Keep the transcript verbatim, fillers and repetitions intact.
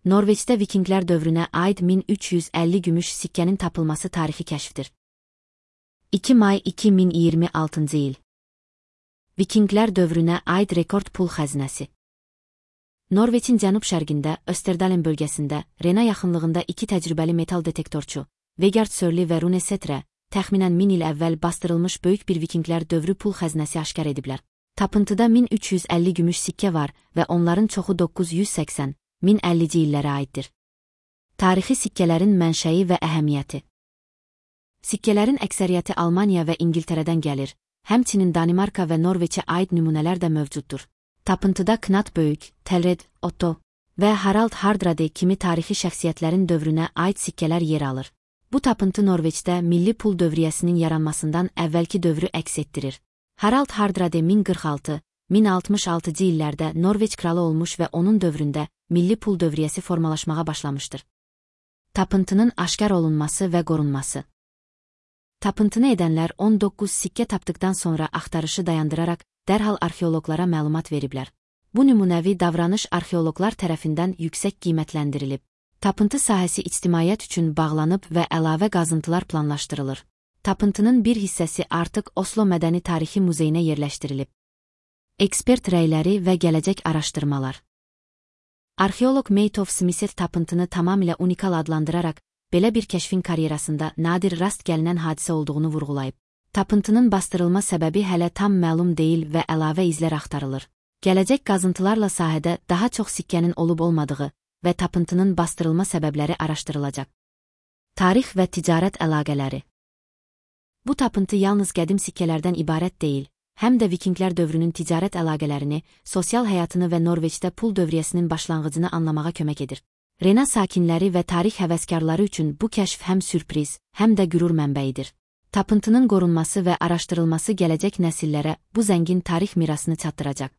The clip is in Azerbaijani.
Norveçdə Vikinglər dövrünə aid min üç yüz əlli gümüş sikkənin tapılması tarixi kəşfdir. iki may iki min iyirmi altıncı il. Vikinglər dövrünə aid rekord pul xəzinəsi. Norveçin cənub-şərqində, Österdalen bölgəsində, Rena yaxınlığında iki təcrübəli metal detektorçu, Vegard Sörli və Rune Setre, təxminən min il əvvəl bastırılmış böyük bir Vikinglər dövrü pul xəzinəsi aşkar ediblər. Tapıntıda min üç yüz əlli gümüş sikkə var və onların çoxu doqquz yüz səksən min əllici illərə aiddir. Tarixi sikkələrin mənşəyi və əhəmiyyəti. Sikkələrin əksəriyyəti Almaniya və İngiltərədən gəlir, həmçinin Danimarka və Norveçə aid nümunələr də mövcuddur. Tapıntıda Knut Böyük, Telred, Otto və Harald Hardrade kimi tarixi şəxsiyyətlərin dövrünə aid sikkələr yer alır. Bu tapıntı Norveçdə milli pul dövriyyəsinin yaranmasından əvvəlki dövrü əks etdirir. Harald Hardrade min qırx altı min altmış altıncı illərdə Norveç kralı olmuş və onun dövründə milli pul dövriyyəsi formalaşmağa başlamışdır. Tapıntının aşkar olunması və qorunması. Tapıntını edənlər on doqquz sikkə tapdıqdan sonra axtarışı dayandıraraq dərhal arxeoloqlara məlumat veriblər. Bu nümunəvi davranış arxeoloqlar tərəfindən yüksək qiymətləndirilib. Tapıntı sahəsi ictimaiyyət üçün bağlanıb və əlavə qazıntılar planlaşdırılır. Tapıntının bir hissəsi artıq Oslo Mədəni Tarixi Muzeyinə yerləşdirilib. Ekspert rəyləri və gələcək araşdırmalar. Arxeoloq Maytov Smith tapıntını tamamilə unikal adlandıraraq, belə bir kəşfin karyerasında nadir rast gəlinən hadisə olduğunu vurğulayıb. Tapıntının bastırılma səbəbi hələ tam məlum deyil və əlavə izlər axtarılır. Gələcək qazıntılarla sahədə daha çox sikkənin olub-olmadığı və tapıntının bastırılma səbəbləri araşdırılacaq. Tarix və ticarət əlaqələri. Bu tapıntı yalnız qədim sikkələrdən ibarət deyil, həm də Vikinglər dövrünün ticarət əlaqələrini, sosial həyatını və Norveçdə pul dövriyyəsinin başlanğıcını anlamağa kömək edir. Rena sakinləri və tarix həvəskarları üçün bu kəşf həm sürpriz, həm də qürur mənbəyidir. Tapıntının qorunması və araşdırılması gələcək nəsillərə bu zəngin tarix mirasını çatdıracaq.